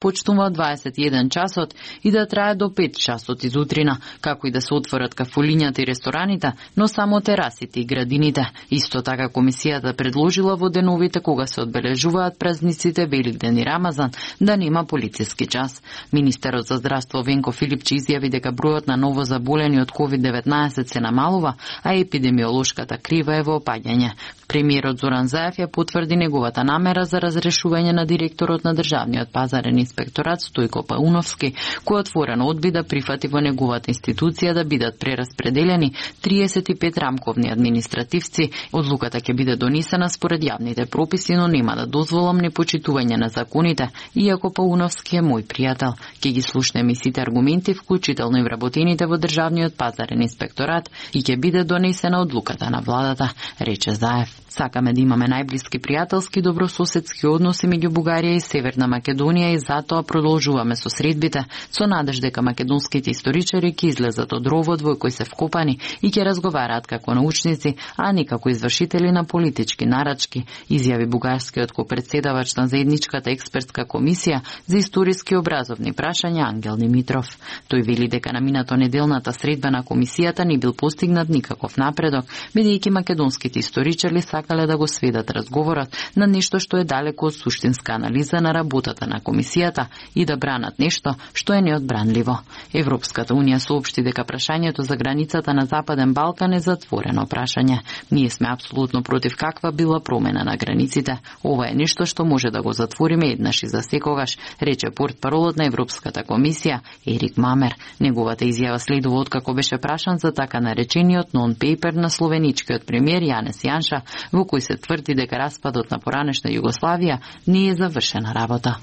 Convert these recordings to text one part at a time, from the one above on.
почнува 21 часот и да трае до 5 часот изутрина, како и да се отворат кафулињата и рестораните, но само терасите и градините. Исто така комисијата предложила во деновите кога се одбележуваат празниците Великден и Рамазан да нема полициски час. Министерот за здравство Венко Филипчи изјави дека бројот на ново заболени од COVID-19 се намалува, а епидемиолошката крива е во опаѓање. Премиерот Зоран Заев ја потврди неговата намера за разрешување на директорот на Државниот пазарен инспекторат Стојко Пауновски, кој отворено одби да прифати во неговата институција да бидат прераспределени 35 рамковни административци. Одлуката ќе биде донесена според јавните прописи, но нема да дозволам непочитување на законите, иако Пауновски е мој пријател. Ќе ги слушнеме сите аргументи, вклучително и вработените во Државниот пазарен инспекторат, и ќе биде донесена одлуката на владата, рече Заев. Сакаме да имаме најблиски пријателски добрососедски односи меѓу Бугарија и Северна Македонија и затоа продолжуваме со средбите, со надеж дека македонските историчари ќе излезат од ровот во кој се вкопани и ќе разговараат како научници, а не како извршители на политички нарачки, изјави бугарскиот копредседавач на заедничката експертска комисија за историски образовни прашања Ангел Димитров. Тој вели дека на минато неделната средба на комисијата не бил постигнат никаков напредок, бидејќи македонските историчари сакале да го сведат разговорот на нешто што е далеко од суштинска анализа на работата на комисијата и да бранат нешто што е неодбранливо. Европската унија соопшти дека прашањето за границата на Западен Балкан е затворено прашање. Ние сме апсолутно против каква била промена на границите. Ова е нешто што може да го затвориме еднаш и за секогаш, рече портпаролот на Европската комисија Ерик Мамер. Неговата изјава следува откако беше прашан за така наречениот нон-пейпер на словеничкиот премиер Јанес Јанша, во кој се тврди дека распадот на поранешна Југославија не е завршена работа.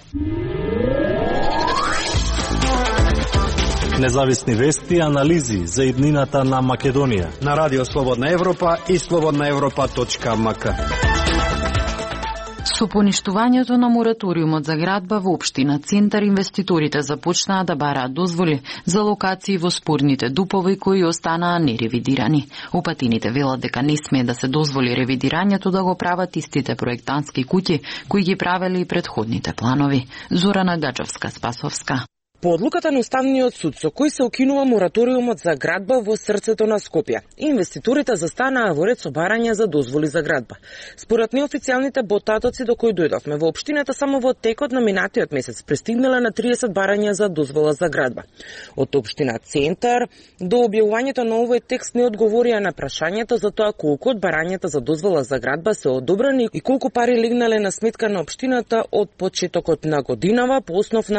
Независни вести и анализи за иднината на Македонија на Радио Слободна Европа и slobodnaevropa.mk. Со поништувањето на мораториумот за градба во општина Центар, инвеститорите започнаа да бараат дозволи за локации во спорните дупови кои останаа неревидирани. Опатините велат дека не смее да се дозволи ревидирањето да го прават истите проектантски куќи кои ги правеле и претходните планови. Зорана Гаџовска-Спасовска. По одлуката на Уставниот суд со кој се укинува мораториумот за градба во срцето на Скопје, инвеститорите застанаа во ред со барања за дозволи за градба. Според неофицијалните потатоци до кои дојдовме во општината, само во текот на минатиот месец пристигнале на 30 барања за дозвола за градба. Од општина Центар до објавувањето на овој текст не одговорија на прашањето за тоа колку од барањата за дозвола за градба се одобрени и колку пари легнале на сметка на општината од почетокот на годинава по основ на